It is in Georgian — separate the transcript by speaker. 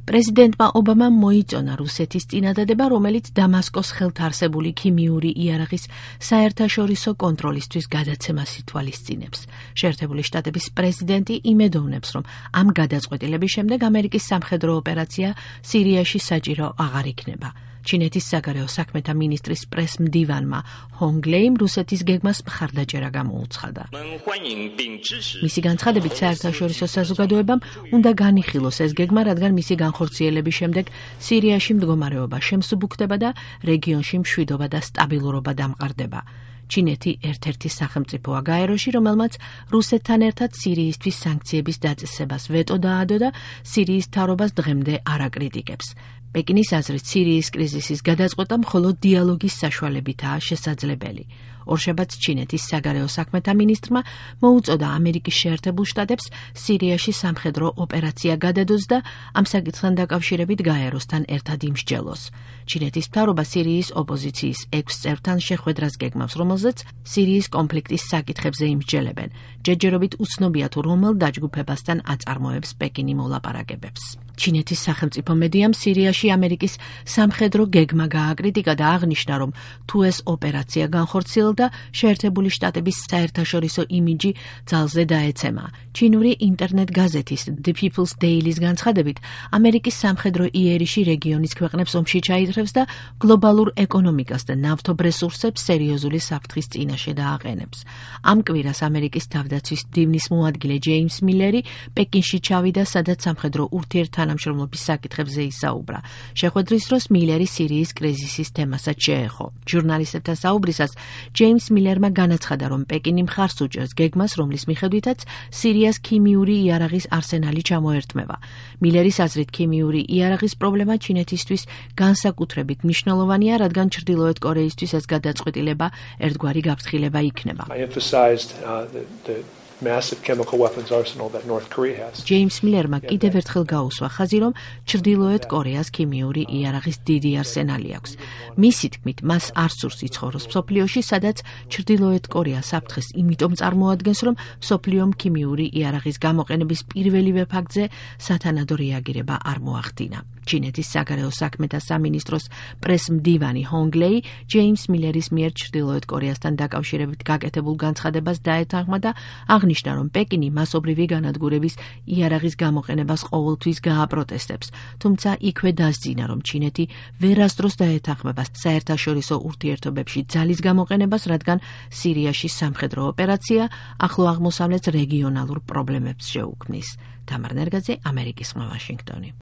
Speaker 1: პრეზიდენტმა ობამამ მოიწონა რუსეთის წინადადება, რომელიც დამასკოს ხელთ არსებული ქიმიური იარაღის საერთაშორისო კონტროლისთვის გადაცემას ითვალისწინებს. შეერთებული შტატების პრეზიდენტი იმედოვნებს, რომ ამ გადაწყვეტილების შემდეგ ამერიკის სამხედრო ოპერაცია სირიაში საჭირო აღარ იქნება. ჩინეთის საგარეო საქმეთა მინისტრის პრეს-მდივანმა ჰონგლეიმ რუსეთის გეგმას მხარდაჭერა გამოუცხადა. მისი განცხადებით, საერთაშორისო საზოგადოებამ უნდა განიხილოს ეს გეგმა, რადგან მისი განხორციელების შემდეგ სირიაში მდგომარეობა შემსუბუქდება და რეგიონში მშვიდობა და სტაბილურობა დამყარდება. ჩინეთი ერთ-ერთი სახელმწიფოა გაეროში, რომელმაც რუსეთთან ერთად სირიისთვის სანქციების დაწესებას ვეტო დაადო და სირიის მთავრობას დღემდე არ აკრიტიკებს. პეკინის აზრით, სირიის კრიზისის გადაწყვეტა მხოლოდ დიალოგის საშუალებითაა შესაძლებელი. ორშაბათს ჩინეთის საგარეო საქმეთა მინისტრმა მოუწოდა ამერიკის შეერთებულ შტატებს სირიაში სამხედრო ოპერაცია გადადოს და ამ საკითხთან დაკავშირებით გაეროსთან ერთად იმსჯელოს. ჩინეთის მთავრობა სირიის ოპოზიციის 6 წევრთან შეხვედრას გეგმავს, რომელზეც სირიის კონფლიქტის საკითხებზე იმსჯელებენ. ჯერჯერობით უცნობია თუ რომელ დაჯგუფებასთან აწარმოებს პეკინი მოლაპარაკებებს. ჩინეთის სახელმწიფო მედიამ სირიაში ამერიკის სამხედრო გეგმა გააკრიტიკა და აღნიშნა, რომ თუ ეს ოპერაცია განხორციელდა, შეერთებული შტატების საერთაშორისო იმიჯი ძალზე დაეცემა. ჩინური ინტერნეტ გაზეთის The People's Daily-ის განცხადებით, ამერიკის სამხედრო იერიში რეგიონის ქვეყნებს ომში ჩაითრევს და გლობალურ ეკონომიკას და ნავთობ რესურსებს სერიოზული საფრთხის წინაშე დააყენებს. ამ კვირას ამერიკის თავდაცვის მდივნის მოადგილე ჯეიმს მილერი პეკინში ჩავიდა, სადაც სამხედრო ურთიერთთანამშრომლობის საკითხებზე ისაუბრა. შეხვედრის დროს მილერი სირიის კრიზისის თემასაც შეეხო. ჟურნალისტებთან საუბრისას ჯეიმს მილერმა განაცხადა, რომ პეკინი მხარს უჭერს გეგმას, რომლის მიხედვითაც სირიას ქიმიური იარაღის არსენალი ჩამოერთმევა. მილერის აზრით, ქიმიური იარაღის პრობლემა ჩინეთისთვის განსაკუთრებით მნიშვნელოვანია, რადგან ჩრდილოეთ კორეისთვის ეს გადაწყვეტილება ერთგვარი გაფრთხილება იქნება. ჯეიმს მილერმა კიდევ ერთხელ გაუსვა ხაზი, რომ ჩრდილოეთ კორეას ქიმიური იარაღის დიდი არსენალი აქვს. მისი თქმით, მას არ სურს იცხოვროს მსოფლიოში, სადაც ჩრდილოეთ კორეა საფრთხეს იმიტომ წარმოადგენს, რომ მსოფლიომ ქიმიური იარაღის გამოყენების პირველივე ფაქტზე სათანადო რეაგირება არ მოახდინა. ჩინეთის საგარეო საქმეთა სამინისტროს პრეს-მდივანი ჰონგლეი ჯეიმს მილერის მიერ ჩრდილოეთ კორეასთან დაკავშირებით გაკეთებულ განცხადებას დაეთანხმა და აღნიშნა, რომ პეკინი მასობრივი განადგურების იარაღის გამოყენებას ყოველთვის გააპროტესტებს, თუმცა იქვე დასძინა, რომ ჩინეთი ვერასდროს დაეთანხმება საერთაშორისო ურთიერთობებში ძალის გამოყენებას, რადგან სირიაში სამხედრო ოპერაცია ახლო აღმოსავლეთს რეგიონალურ პრობლემებს შეუქმნის. თამარ ნერგაძე, ამერიკის ხმა, ვაშინგტონი.